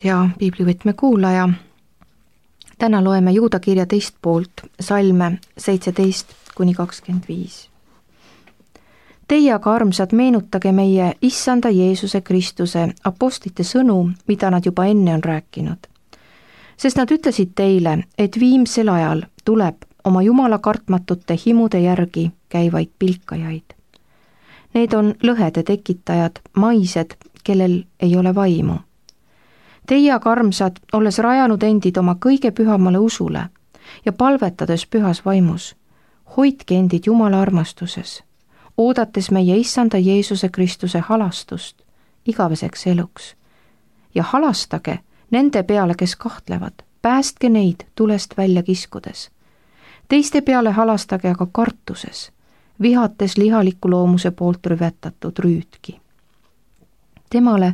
ja piiblivõtme kuulaja. Täna loeme Juuda kirja teist poolt, salme 17-25. Teie aga, armsad, meenutage meie Issanda Jeesuse Kristuse apostlite sõnu, mida nad juba enne on rääkinud. Sest nad ütlesid teile, et viimsel ajal tuleb oma Jumala kartmatute himude järgi käivaid pilkajaid. Need on lõhede tekitajad, maised, kellel ei ole vaimu. Teie aga, armsad, olles rajanud endid oma kõige pühamale usule ja palvetades pühas vaimus, hoidke endid Jumala armastuses, oodates meie Issanda Jeesuse Kristuse halastust igaveseks eluks. Ja halastage nende peale, kes kahtlevad, päästke neid tulest välja kiskudes. Teiste peale halastage aga kartuses, vihates lihaliku loomuse poolt rüvetatud rüütki. Temale,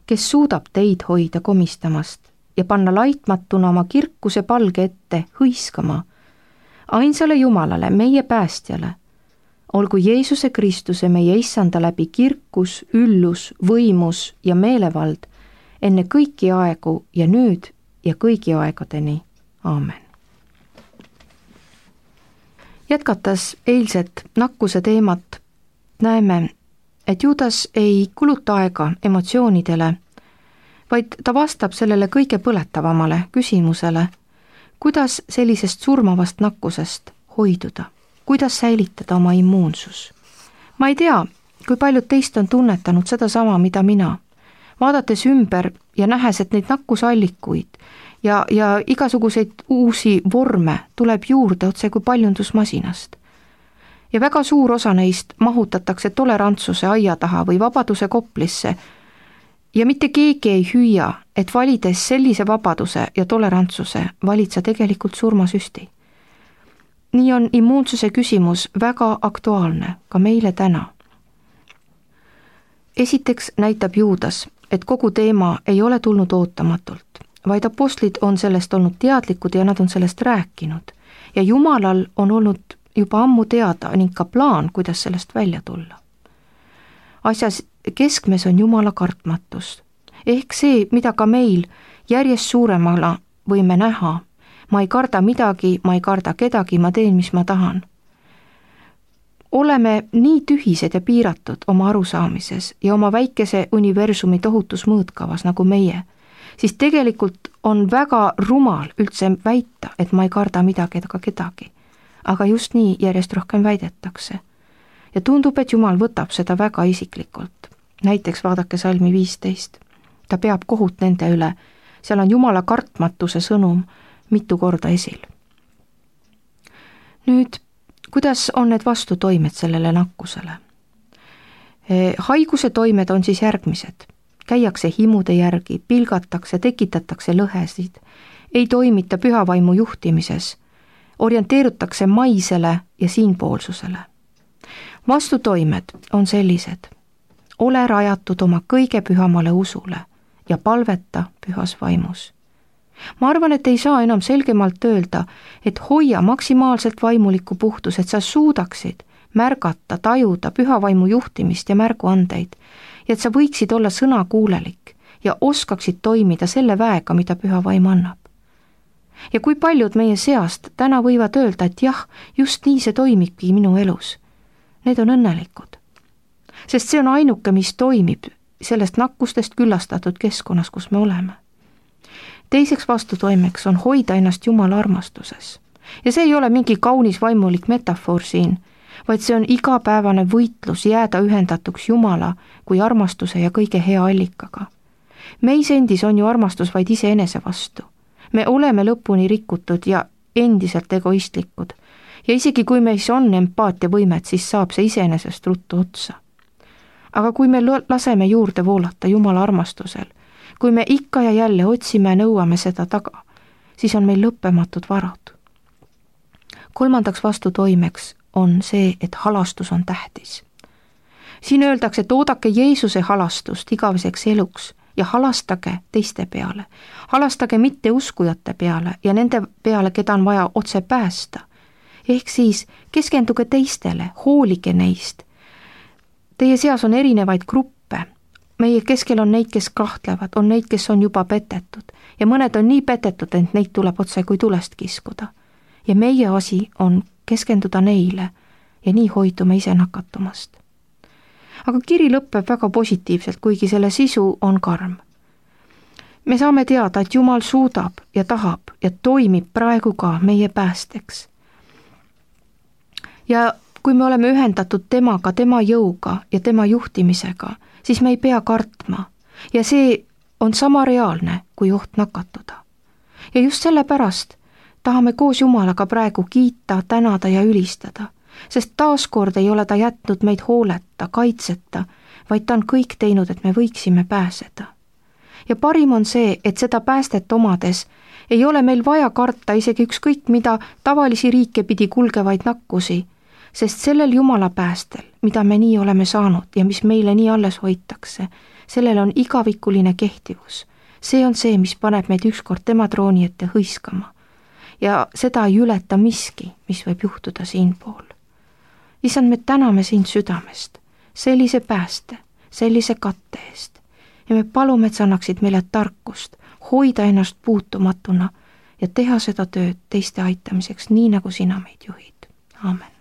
kes suudab teid hoida komistamast ja panna laitmatuna oma kirkuse palge ette hõiskama, ainsale Jumalale, meie päästjale, olgu Jeesuse Kristuse meie Issanda läbi kirkus, üllus, võimus ja meelevald enne kõiki aegu ja nüüd ja kõigi aegadeni. Aamen. Jätkates eilset nakkuse teemat, näeme, et Juudas ei kuluta aega emotsioonidele, vaid ta vastab sellele kõige põletavamale küsimusele, kuidas sellisest surmavast nakkusest hoiduda, kuidas säilitada oma immuunsus. Ma ei tea, kui paljud teist on tunnetanud sedasama, mida mina, vaadates ümber ja nähes, et neid nakkusallikuid ja igasuguseid uusi vorme tuleb juurde otse kui paljundusmasinast. Ja väga suur osa neist mahutatakse tolerantsuse aia taha või vabaduse koplisse ja mitte keegi ei hüüa, et valides sellise vabaduse ja tolerantsuse valid sa tegelikult surmasüsti. Nii on immuunsuse küsimus väga aktuaalne ka meile täna. Esiteks näitab Juudas, et kogu teema ei ole tulnud ootamatult, vaid apostlid on sellest olnud teadlikud ja nad on sellest rääkinud ja Jumalal on olnud juba ammu teada ning ka plaan, kuidas sellest välja tulla. Asjas keskmes on Jumala kartmatus, ehk see, mida ka meil järjest suuremala võime näha. Ma ei karda midagi, ma ei karda kedagi, ma teen, mis ma tahan. Oleme nii tühised ja piiratud oma arusaamises ja oma väikese universumi tohutus mõõtkavas nagu meie, siis tegelikult on väga rumal üldse väita, et ma ei karda midagi ega kedagi. Aga just nii järjest rohkem väidetakse. Ja tundub, et Jumal võtab seda väga isiklikult. Näiteks vaadake salmi 15. Ta peab kohut nende üle. Seal on Jumala kartmatuse sõnum mitu korda esil. Nüüd, kuidas on need vastutoimed sellele nakkusele? Haiguse toimed on siis järgmised. Käiakse himude järgi, pilgatakse, tekitatakse lõhesid, ei toimita pühavaimu juhtimises, orienteerutakse maisele ja siinpoolsusele. Vastutoimed on sellised. Ole rajatud oma kõige pühamale usule ja palveta pühas vaimus. Ma arvan, et ei saa enam selgemalt öelda, et hoia maksimaalselt vaimulikku puhtus, et sa suudaksid märgata, tajuda pühavaimu juhtimist ja märguandeid ja et sa võiksid olla sõnakuulelik ja oskaksid toimida selle väega, mida püha vaim annab. Ja kui paljud meie seast täna võivad öelda, et jah, just nii see toimibki minu elus. Need on õnnelikud. Sest see on ainuke, mis toimib sellest nakkustest küllastatud keskkonnas, kus me oleme. Teiseks vastutoimeks on hoida ennast Jumala armastuses. Ja see ei ole mingi kaunis vaimulik metafoor siin, vaid see on igapäevane võitlus jääda ühendatuks Jumala kui armastuse ja kõige hea allikaga. Meis endis on ju armastus vaid iseenese vastu. Me oleme lõpuni rikutud ja endiselt egoistlikud ja isegi kui meis on empaatiavõimet, siis saab see iseenesest ruttu otsa. Aga kui me laseme juurde voolata Jumala armastusel, kui me ikka ja jälle otsime ja nõuame seda taga, siis on meil lõppematud varad. Kolmandaks vastutoimeks on see, et halastus on tähtis. Siin öeldakse, et oodake Jeesuse halastust igaveseks eluks ja halastage teiste peale. Halastage mitte uskujate peale ja nende peale, keda on vaja otse päästa. Ehk siis keskenduge teistele, hoolige neist. Teie seas on erinevaid gruppe. meie keskel on neid, kes kahtlevad, on neid, kes on juba petetud ja mõned on nii petetud, et neid tuleb otse kui tulest kiskuda. Ja meie asi on keskenduda neile ja nii hoidume ise nakatumast. Aga kiri lõpeb väga positiivselt, kuigi selle sisu on karm. Me saame teada, et Jumal suudab ja tahab ja toimib praegu ka meie päästeks. Ja kui me oleme ühendatud temaga, tema jõuga ja tema juhtimisega, siis me ei pea kartma ja see on sama reaalne kui oht nakatuda. Ja just sellepärast tahame koos Jumalaga praegu kiita, tänada ja ülistada, sest taaskord ei ole ta jätnud meid hooleta, kaitseta, vaid ta on kõik teinud, et me võiksime pääseda. Ja parim on see, et seda päästet omades ei ole meil vaja karta isegi ükskõik mida tavalisi riike pidi kulgevaid nakkusi, sest sellel Jumala päästel, mida me nii oleme saanud ja mis meile nii alles hoitakse, sellel on igavikuline kehtivus. See on see, mis paneb meid ükskord tema trooni ette hõiskama. Ja seda ei ületa miski, mis võib juhtuda siinpool. Issand, me täname sind südamest, sellise pääste, sellise katte eest. Ja me palume, et sa annaksid meile tarkust, hoida ennast puutumatuna ja teha seda tööd teiste aitamiseks, nii nagu sina meid juhid. Aamen.